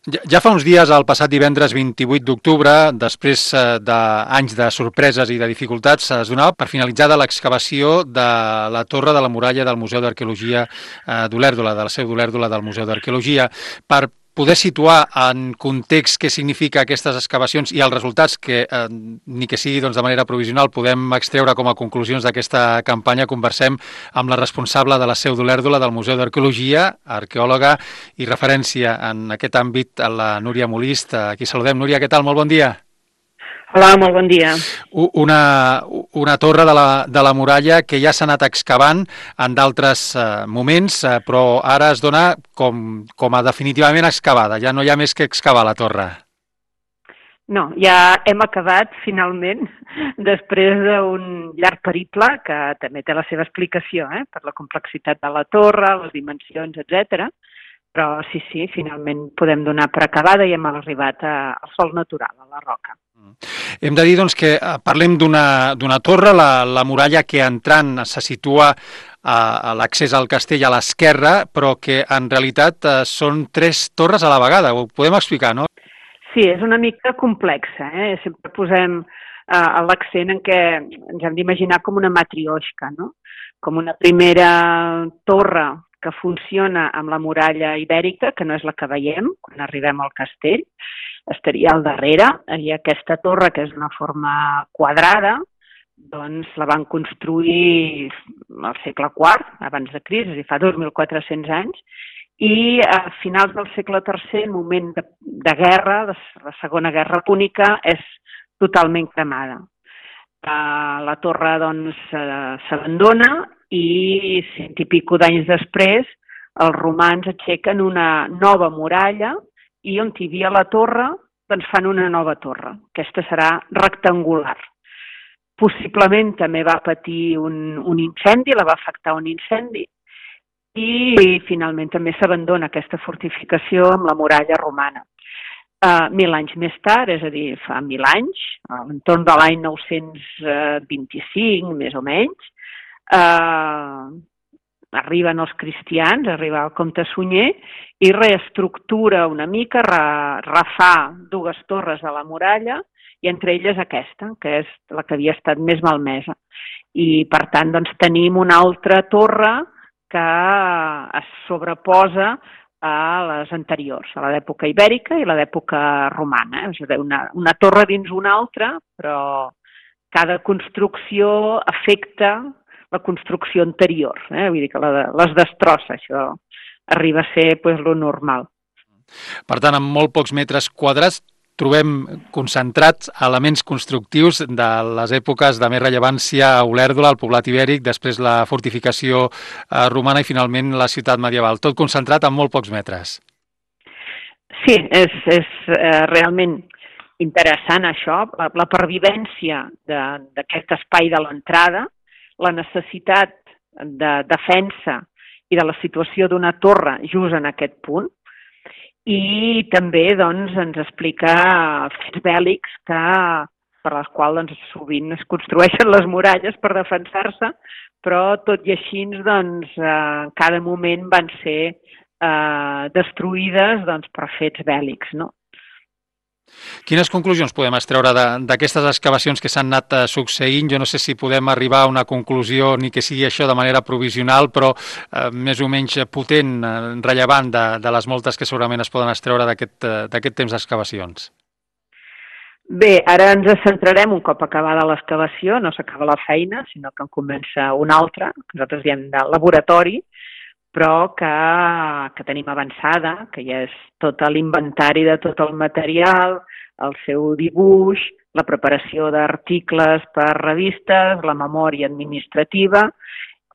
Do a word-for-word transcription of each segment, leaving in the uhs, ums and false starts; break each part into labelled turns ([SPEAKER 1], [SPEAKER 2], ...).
[SPEAKER 1] Ja, ja fa uns dies, el passat divendres vint-i-vuit d'octubre, després eh, d'anys de sorpreses i de dificultats, es donava per finalitzada l'excavació de la torre de la muralla del Museu d'Arqueologia eh, d'Olèrdola, de la seu d'Olèrdola del Museu d'Arqueologia. Per poder situar en context què significa aquestes excavacions i els resultats que, eh, ni que sigui doncs, de manera provisional, podem extreure com a conclusions d'aquesta campanya, conversem amb la responsable de la seu d'Olèrdola del Museu d'Arqueologia, arqueòloga i referència en aquest àmbit, a la Núria Molist. Aquí saludem. Núria, què tal? Molt bon dia.
[SPEAKER 2] Hola, molt bon dia.
[SPEAKER 1] Una, una torre de la, de la muralla que ja s'ha anat excavant en d'altres eh, moments, eh, però ara es dona com, com a definitivament excavada. Ja no hi ha més que excavar la torre.
[SPEAKER 2] No, ja hem acabat finalment, després d'un llarg periple, que també té la seva explicació, eh, per la complexitat de la torre, les dimensions, etcètera. Però sí, sí, finalment podem donar per acabada i hem arribat a, al sòl natural, a la roca.
[SPEAKER 1] Hem de dir doncs, que parlem d'una torre, la, la muralla que entrant se situa a, a l'accés al castell a l'esquerra, però que en realitat eh, són tres torres a la vegada. Ho podem explicar, no?
[SPEAKER 2] Sí, és una mica complexa. Eh? Sempre posem eh, l'accent en què ens hem d'imaginar com una matrioshka, no? Com una primera torre que funciona amb la muralla ibèrica, que no és la que veiem quan arribem al castell, estaria al darrere, i aquesta torre, que és una forma quadrada, doncs la van construir al segle quart, abans de Crist, és a dir, fa dos mil quatre-cents anys, i a finals del segle tercer, en moment de, de guerra, de la Segona Guerra Púnica, és totalment cremada. Uh, la torre, doncs, uh, s'abandona i cent i pico d'anys després els romans aixequen una nova muralla i on hi havia la torre doncs fan una nova torre. Aquesta serà rectangular. Possiblement també va patir un, un incendi, la va afectar un incendi i finalment també s'abandona aquesta fortificació amb la muralla romana. Uh, mil anys més tard, és a dir, fa mil anys, a l'entorn de l'any nou-cents vint-i-cinc, més o menys, Uh, arriben els cristians, arriba el comte Sunyer i reestructura una mica, re, refà dues torres de la muralla i entre elles aquesta, que és la que havia estat més malmesa. I per tant doncs, tenim una altra torre que es sobreposa a les anteriors, a l'època ibèrica i a l'època romana. És a dir, una, una torre dins una altra, però cada construcció afecta la construcció anterior, eh? Vull dir que la, les destrossa, això arriba a ser pues, lo normal.
[SPEAKER 1] Per tant, amb molt pocs metres quadrats trobem concentrats elements constructius de les èpoques de més rellevància a Olèrdola, al poblat ibèric, després la fortificació eh, romana i finalment la ciutat medieval. Tot concentrat en molt pocs metres.
[SPEAKER 2] Sí, és, és eh, realment interessant això, la, la pervivència d'aquest espai de l'entrada, la necessitat de defensa i de la situació d'una torre just en aquest punt i també doncs, ens explica fets bèl·lics que, per les quals doncs, sovint es construeixen les muralles per defensar-se, però tot i així doncs, en cada moment van ser eh, destruïdes doncs, per fets bèl·lics, no?
[SPEAKER 1] Quines conclusions podem extreure d'aquestes excavacions que s'han anat succeint? Jo no sé si podem arribar a una conclusió, ni que sigui això de manera provisional, però eh, més o menys potent, eh, rellevant de, de les moltes que segurament es poden extreure d'aquest eh, temps d'excavacions.
[SPEAKER 2] Bé, ara ens centrarem un cop acabada l'excavació, no s'acaba la feina, sinó que en comença una altra, que nosaltres diem de laboratori, però que, que tenim avançada, que ja és tot l'inventari de tot el material, el seu dibuix, la preparació d'articles per revistes, la memòria administrativa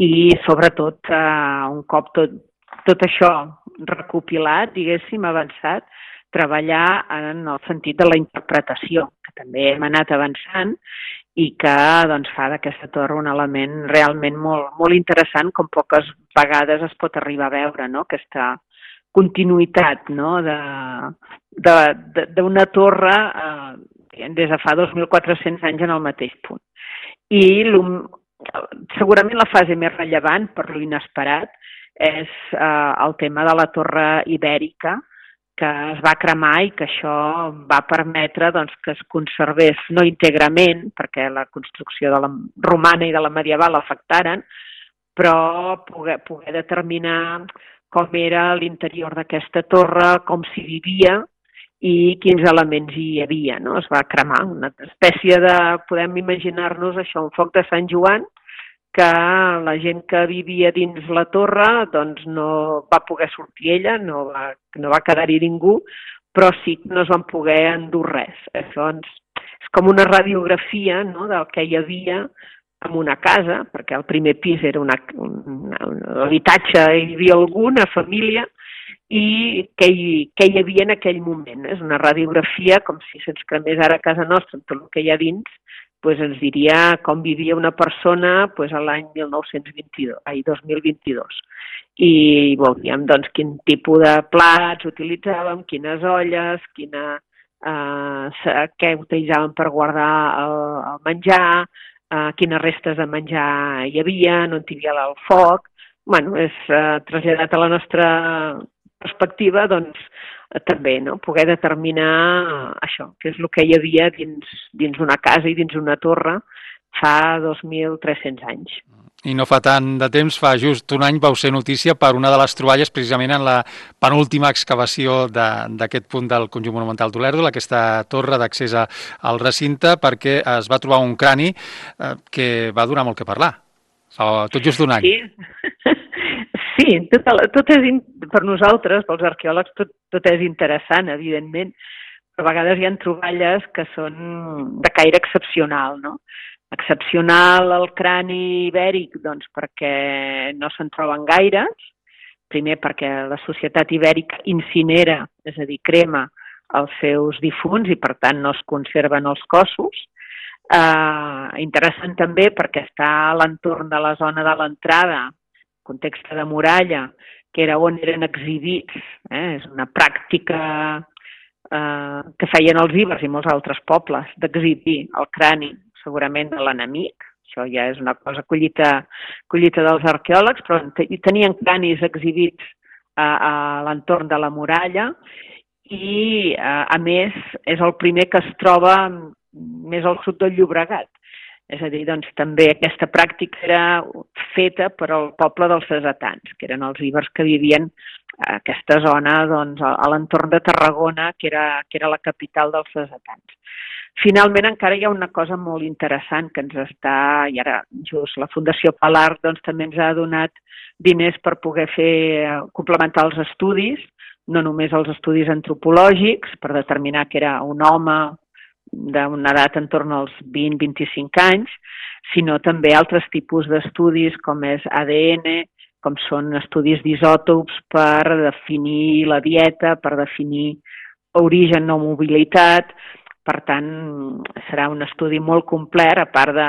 [SPEAKER 2] i, sobretot, eh, un cop tot, tot això recopilat, diguéssim, avançat, treballar en el sentit de la interpretació, que també hem anat avançant i que doncs, fa d'aquesta torre un element realment molt, molt interessant, com poques vegades es pot arribar a veure, no? Aquesta continuïtat, no? d'una torre eh, des de fa dos mil quatre-cents anys en el mateix punt. I segurament la fase més rellevant, per lo inesperat, és eh, el tema de la torre ibèrica, que es va cremar i que això va permetre doncs, que es conservés, no íntegrament, perquè la construcció de la romana i de la medieval afectaren, però poder, poder determinar com era l'interior d'aquesta torre, com s'hi vivia i quins elements hi havia, no? Es va cremar una espècie de, podem imaginar-nos això, un foc de Sant Joan, que la gent que vivia dins la torre doncs no va poder sortir ella, no va, no va quedar-hi ningú, però sí que no es van poder endur res. Això doncs, és com una radiografia, no?, del que hi havia en una casa, perquè el primer pis era una, una, un habitatge, hi havia alguna família, i què hi, què hi havia en aquell moment. És una radiografia, com si se'ns cremés ara a casa nostra, amb tot el que hi ha dins, doncs ens diria com vivia una persona doncs, l'any mil nou-cents vint-i-dos, ai, dos mil vint-i-dos. I veuríem doncs, quin tipus de plats utilitzàvem, quines olles, quina, eh, què utilitzaven per guardar el, el menjar, eh, quines restes de menjar hi havia, on hi havia el foc. Bueno, és eh, traslladat a la nostra perspectiva, doncs, també, no?, poder determinar això, què és el que hi havia dins, dins una casa i dins una torre fa dos mil tres-cents anys.
[SPEAKER 1] I no fa tant de temps, fa just un any, vau ser notícia per una de les troballes precisament en la penúltima excavació d'aquest punt del conjunt monumental d'Olèrdol, aquesta torre d'accés al recinte, perquè es va trobar un crani eh, que va donar molt que parlar, fa tot just un any.
[SPEAKER 2] Sí, sí, tot, tot és, per nosaltres, pels arqueòlegs, tot, tot és interessant, evidentment, però a vegades hi ha troballes que són de caire excepcional, no? Excepcional el crani ibèric, doncs perquè no se'n troben gaires, primer perquè la societat ibèrica incinera, és a dir, crema els seus difunts i per tant no es conserven els cossos. Eh, interessant també perquè està a l'entorn de la zona de l'entrada, context de muralla, que era on eren exhibits, eh? És una pràctica eh, que feien els ibers i molts altres pobles, d'exhibir el crani, segurament de l'enemic. Això ja és una cosa collita, collita dels arqueòlegs, però tenien cranis exhibits a, a l'entorn de la muralla i, a, a més, és el primer que es troba més al sud del Llobregat. És a dir, doncs, també aquesta pràctica era feta per al poble dels cesetans, que eren els ibers que vivien a aquesta zona, doncs, a l'entorn de Tarragona, que era, que era la capital dels cesetans. Finalment, encara hi ha una cosa molt interessant que ens està, i ara just la Fundació Palar doncs, també ens ha donat diners per poder fer, complementar els estudis, no només els estudis antropològics, per determinar que era un home d'una edat en torn als vint a vint-i-cinc anys, sinó també altres tipus d'estudis com és A D N, com són estudis d'isòtops per definir la dieta, per definir origen o mobilitat. Per tant, serà un estudi molt complet, a part de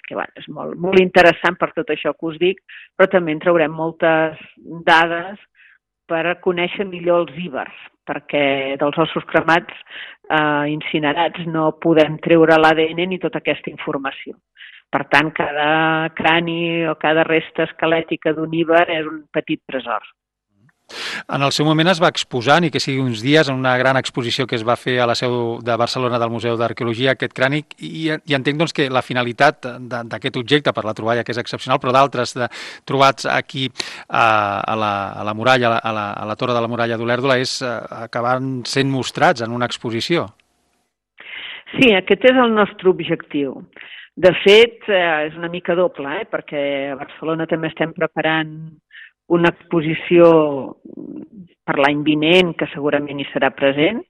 [SPEAKER 2] que bueno, és molt, molt interessant per tot això que us dic, però també en traurem moltes dades per conèixer millor els ibers, perquè dels ossos cremats eh, incinerats no podem treure l'A D N ni tota aquesta informació. Per tant, cada crani o cada resta esquelètica d'un íber és un petit tresor.
[SPEAKER 1] En el seu moment es va exposar, ni que sigui uns dies, en una gran exposició que es va fer a la seu de Barcelona del Museu d'Arqueologia, aquest crani, i, i entenc doncs, que la finalitat d'aquest objecte, per la troballa que és excepcional, però d'altres trobats aquí a, a, la, a la muralla, a la, a la torre de la muralla d'Olèrdola, és acabar sent mostrats en una exposició.
[SPEAKER 2] Sí, aquest és el nostre objectiu. De fet, és una mica doble, eh? Perquè a Barcelona també estem preparant una exposició per l'any vinent, que segurament hi serà present,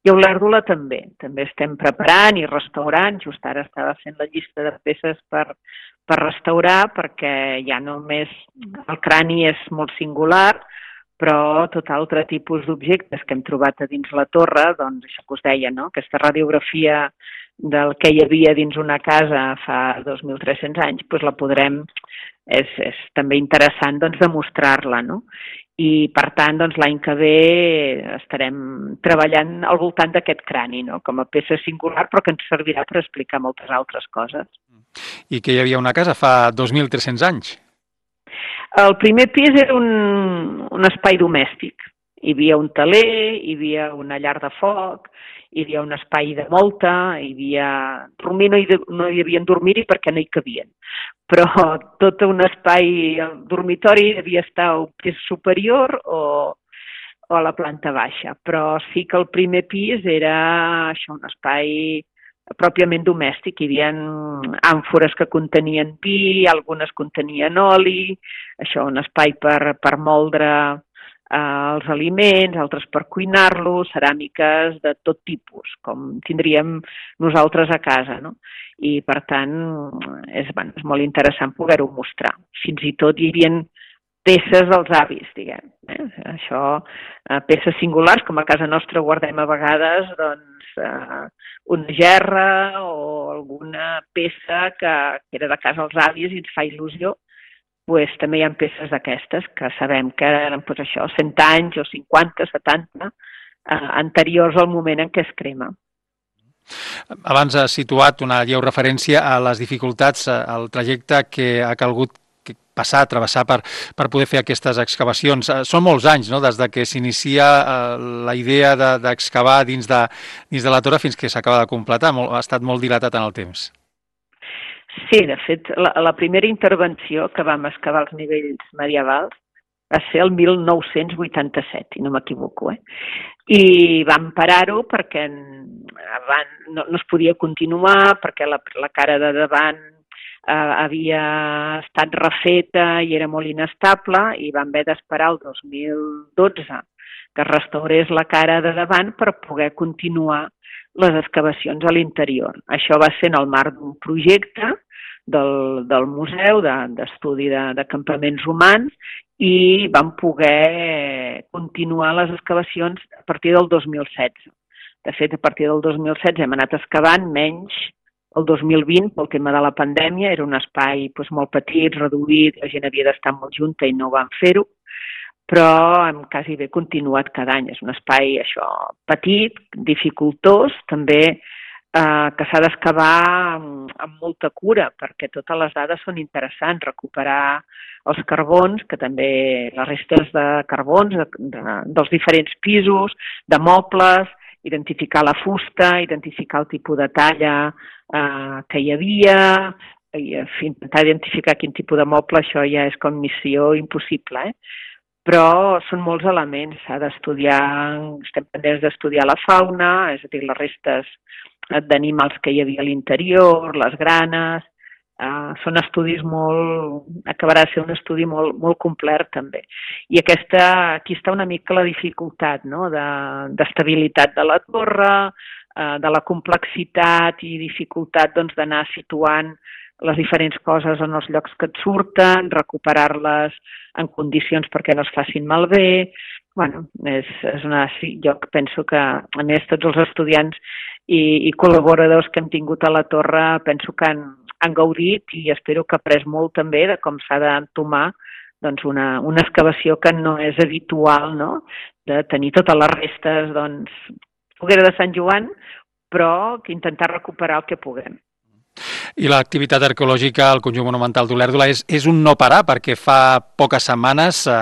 [SPEAKER 2] i a Olèrdola també. També estem preparant i restaurant, just ara estava fent la llista de peces per, per restaurar, perquè ja només el crani és molt singular, però tot altre tipus d'objectes que hem trobat a dins la torre, doncs això que us deia, no? Aquesta radiografia del que hi havia dins una casa fa dos mil tres-cents anys, doncs la podrem... És, és també interessant doncs, demostrar-la, no? I, per tant, doncs, l'any que ve estarem treballant al voltant d'aquest crani, no? Com a peça singular, però que ens servirà per explicar moltes altres coses.
[SPEAKER 1] I que hi havia una casa fa dos mil tres-cents anys?
[SPEAKER 2] El primer pis era un, un espai domèstic. Hi havia un teler, hi havia una llar de foc, hi havia un espai de molta, hi havia... Dormir no hi, no hi havien dormir-hi perquè no hi cabien, però tot un espai, el dormitori devia estar a un pis superior o, o a la planta baixa, però sí que el primer pis era això, un espai pròpiament domèstic. Hi havia àmfores que contenien vi, algunes contenien oli, això, un espai per, per moldre eh, els aliments, altres per cuinar-los, ceràmiques de tot tipus, com tindríem nosaltres a casa, no? I, per tant, és, bueno, és molt interessant poder-ho mostrar. Fins i tot hi havia peces dels avis, diguem. Eh? Això, eh, peces singulars, com a casa nostra guardem a vegades, doncs, eh, una gerra o alguna peça que, que era de casa dels avis i ens fa il·lusió, pues, també hi ha peces d'aquestes que sabem que eren pues, això, cent anys o cinquanta, setanta, eh, anteriors al moment en què es crema.
[SPEAKER 1] Abans has situat una lleu referència a les dificultats, al trajecte que ha calgut passar, travessar per, per poder fer aquestes excavacions. Són molts anys, no?, des de que s'inicia la idea d'excavar de, dins, de, dins de la torre fins que s'acaba de completar. Molt, ha estat molt dilatat en el temps.
[SPEAKER 2] Sí, de fet, la, la primera intervenció que vam excavar als nivells medievals va ser el mil nou-cents vuitanta-set, si no m'equivoco, eh? I vam parar-ho perquè van, no, no es podia continuar, perquè la, la cara de davant eh, havia estat refeta i era molt inestable, i vam haver d'esperar el dos mil dotze que es restaurés la cara de davant per poder continuar les excavacions a l'interior. Això va ser en el marc d'un projecte del, del museu d'estudi de, de, de campaments humans, i vam poder continuar les excavacions a partir del dos mil setze. De fet, a partir del dos mil setze hem anat excavant, menys el dos mil vint, pel tema de la pandèmia, era un espai doncs, molt petit, reduït, la gent havia d'estar molt junta i no vam fer-ho, però hem quasi bé continuat cada any. És un espai això petit, dificultós, també eh, que s'ha d'excavar amb, amb molta cura, perquè totes les dades són interessants, recuperar els carbons, que també les restes de carbons de, de, dels diferents pisos, de mobles, identificar la fusta, identificar el tipus de talla eh, que hi havia, i intentar identificar quin tipus de moble, això ja és com missió impossible, eh? Però són molts elements, s'ha d'estudiar, estem pendents d'estudiar la fauna, és a dir, les restes d'animals que hi havia a l'interior, les granes, eh, són estudis molt, acabarà de ser un estudi molt, molt complet també. I aquesta, aquí està una mica la dificultat, no?, d'estabilitat de, de la torre, eh, de la complexitat i dificultat doncs, d'anar situant les diferents coses en els llocs que et surten, recuperar-les en condicions perquè no es facin malbé. Bueno, és, és una, sí, jo penso que, a més, tots els estudiants i, i col·laboradors que hem tingut a la torre penso que han, han gaudit i espero que ha après molt també de com s'ha d'entomar doncs, una, una excavació que no és habitual, no?, de tenir totes les restes, doncs, foguera de Sant Joan, però que intentar recuperar el que puguem.
[SPEAKER 1] I l'activitat arqueològica al conjunt monumental d'Olèrdola és, és un no parar, perquè fa poques setmanes eh,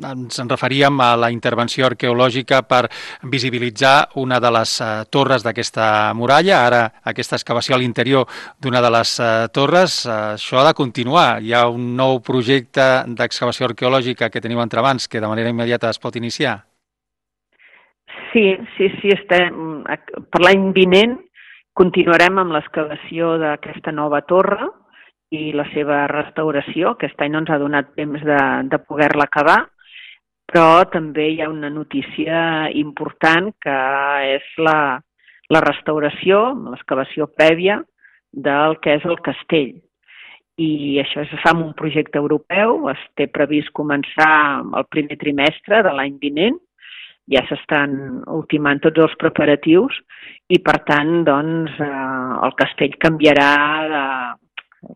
[SPEAKER 1] ens en referíem a la intervenció arqueològica per visibilitzar una de les eh, torres d'aquesta muralla, ara aquesta excavació a l'interior d'una de les eh, torres. Eh, això ha de continuar. Hi ha un nou projecte d'excavació arqueològica que teniu entre mans que de manera immediata es pot iniciar?
[SPEAKER 2] Sí, sí, sí, estem, per l'any vinent continuarem amb l'excavació d'aquesta nova torre i la seva restauració. Aquest any no ens ha donat temps de, de poder-la acabar, però també hi ha una notícia important que és la, la restauració, l'excavació prèvia del que és el castell. I això es fa amb un projecte europeu, es té previst començar el primer trimestre de l'any vinent, ja s'estan ultimant tots els preparatius i, per tant, doncs, eh, el castell canviarà, de,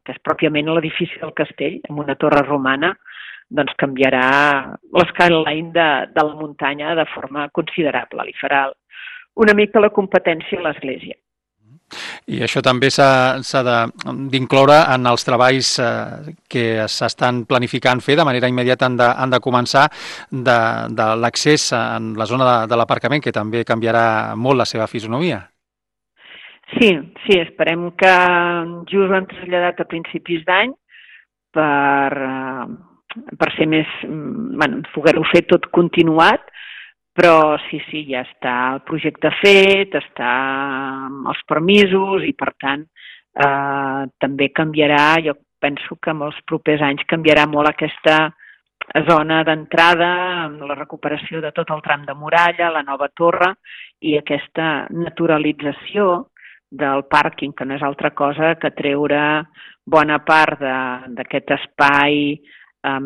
[SPEAKER 2] que és pròpiament l'edifici del castell, amb una torre romana, doncs canviarà l'escaline de, de la muntanya de forma considerable. Li farà una mica la competència a l'església.
[SPEAKER 1] I això també s'ha d'incloure en els treballs eh, que s'estan planificant fer de manera immediata. Han de, han de començar de, de l'accés en la zona de, de l'aparcament, que també canviarà molt la seva fisonomia.
[SPEAKER 2] Sí, sí, esperem que just ho hem traslladat a principis d'any per, per ser més, bueno, poder-ho fer tot continuat. Però sí, sí, ja està el projecte fet, està amb els permisos i, per tant, eh, també canviarà, jo penso que en els propers anys canviarà molt aquesta zona d'entrada amb la recuperació de tot el tram de muralla, la nova torre i aquesta naturalització del pàrquing, que no és altra cosa que treure bona part d'aquest espai eh,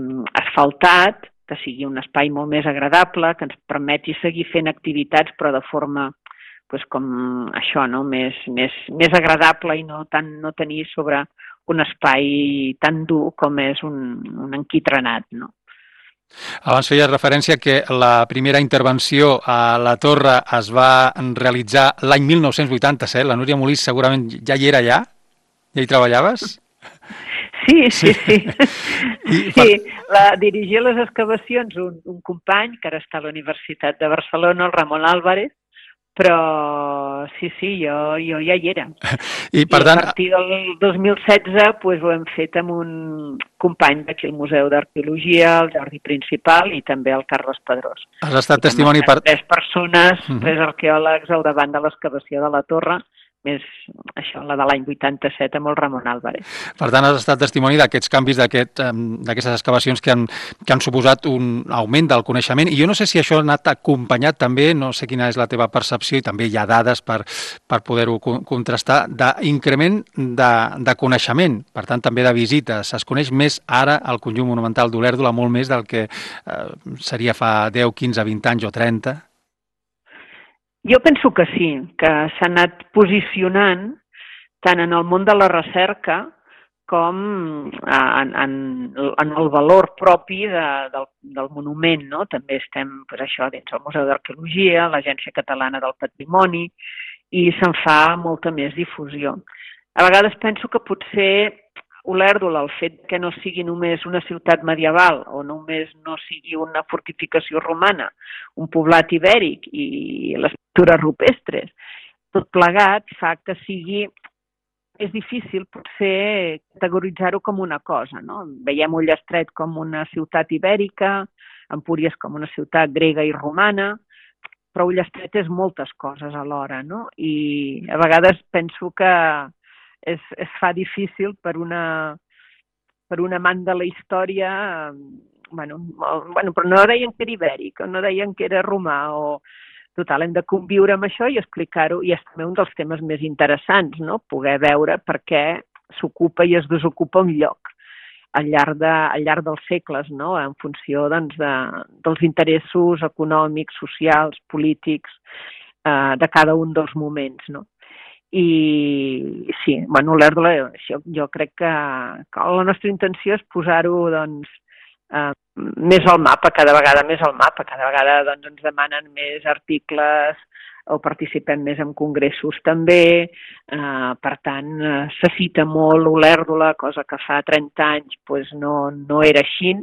[SPEAKER 2] asfaltat, que sigui un espai molt més agradable, que ens permeti seguir fent activitats, però de forma pues, com això, no? més, més, més agradable i no, tant, no tenir sobre un espai tan dur com és un, un enquitrenat. No?
[SPEAKER 1] Abans feies referència que la primera intervenció a la torre es va realitzar l'any mil nou-cents vuitanta-set. La Núria Molís segurament ja hi era allà? Ja hi treballaves?
[SPEAKER 2] Sí, sí, sí. Sí, la, dirigia les excavacions un, un company que ara està a la Universitat de Barcelona, el Ramon Álvarez, però sí, sí, jo, jo ja hi era. I, per tant, I a partir del dos mil setze pues, ho hem fet amb un company d'aquí al Museu d'Arqueologia, el Jordi Principal, i també el Carles Pedrós.
[SPEAKER 1] Has estat testimoni per...
[SPEAKER 2] Tres persones, uh-huh. tres arqueòlegs al davant de l'excavació de la torre, més això, la de l'any vuitanta-set amb el Ramon Álvarez.
[SPEAKER 1] Per tant, has estat testimoni d'aquests canvis, d'aquestes aquest, excavacions que han, que han suposat un augment del coneixement. I jo no sé si això ha anat acompanyat també, no sé quina és la teva percepció, i també hi ha dades per, per poder-ho contrastar, d'increment de, de coneixement, per tant també de visites. Es coneix més ara el conjunt monumental d'Olèrdola, molt més del que eh, seria fa deu, quinze, vint anys o trenta?
[SPEAKER 2] Jo penso que sí, que s'ha anat posicionant tant en el món de la recerca com en, en, en el valor propi de, del, del monument. No? També estem pues, això dins el Museu d'Arqueologia, l'Agència Catalana del Patrimoni, i se'n fa molta més difusió. A vegades penso que potser Olèrdola, el fet que no sigui només una ciutat medieval o només no sigui una fortificació romana, un poblat ibèric i les pintures rupestres, tot plegat fa que sigui, és difícil potser categoritzar-ho com una cosa. No? Veiem Ullastret com una ciutat ibèrica, Empúries com una ciutat grega i romana, però Ullastret és moltes coses alhora, no? I a vegades penso que Es, es fa difícil per una, per un amant de la història, bueno, bueno, però no deien que era ibèric, no deien que era romà, o total, hem de conviure amb això i explicar-ho, i és també un dels temes més interessants, no? Poder veure per què s'ocupa i es desocupa un lloc al llarg, de, al llarg dels segles, no? En funció doncs, de, dels interessos econòmics, socials, polítics, eh, de cada un dels moments, no? I sí, bueno, Olèrdola, jo, jo crec que, que la nostra intenció és posar-ho doncs, eh, més al mapa, cada vegada més al mapa, cada vegada doncs, ens demanen més articles o participem més en congressos també, eh, per tant, eh, se cita molt Olèrdola, cosa que fa trenta anys pues, no, no era així,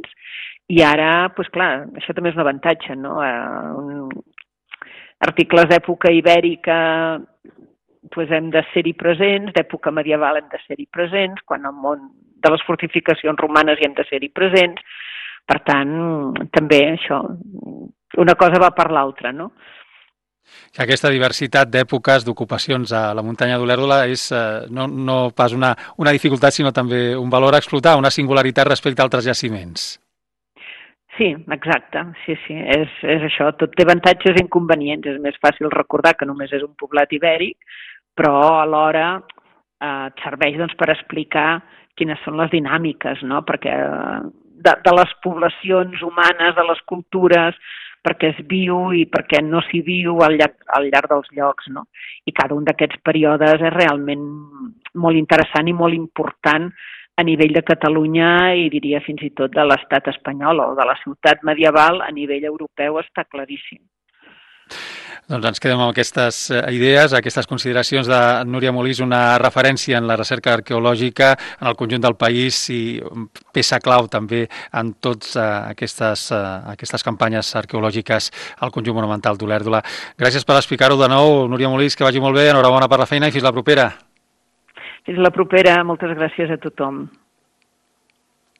[SPEAKER 2] i ara, pues, clar, això també és un avantatge, no? Eh, un, articles d'època ibèrica pues hem de ser-hi presents, d'època medieval hem de ser-hi presents, quan al món de les fortificacions romanes hi hem de ser-hi presents. Per tant, també això, una cosa va per l'altra, no?
[SPEAKER 1] Aquesta diversitat d'èpoques, d'ocupacions a la muntanya d'Olèrdola és eh, no, no pas una, una dificultat, sinó també un valor a explotar, una singularitat respecte a altres jaciments.
[SPEAKER 2] Sí, exacte, sí, sí, és, és això, tot té avantatges i inconvenients, és més fàcil recordar que només és un poblat ibèric, però alhora eh, et serveix doncs, per explicar quines són les dinàmiques, no? Perquè de, de les poblacions humanes, de les cultures, perquè es viu i perquè no s'hi viu al llarg, al llarg dels llocs, no? I cada un d'aquests períodes és realment molt interessant i molt important a nivell de Catalunya i diria fins i tot de l'estat espanyol o de la ciutat medieval a nivell europeu està claríssim.
[SPEAKER 1] Doncs ens quedem amb aquestes idees, aquestes consideracions de Núria Molís, una referència en la recerca arqueològica en el conjunt del país i peça clau també en totes aquestes, aquestes campanyes arqueològiques al conjunt monumental d'Olèrdola. Gràcies per explicar-ho de nou, Núria Molís, que vagi molt bé, enhorabona per la feina i fins la propera.
[SPEAKER 2] Fins la propera, moltes gràcies a tothom.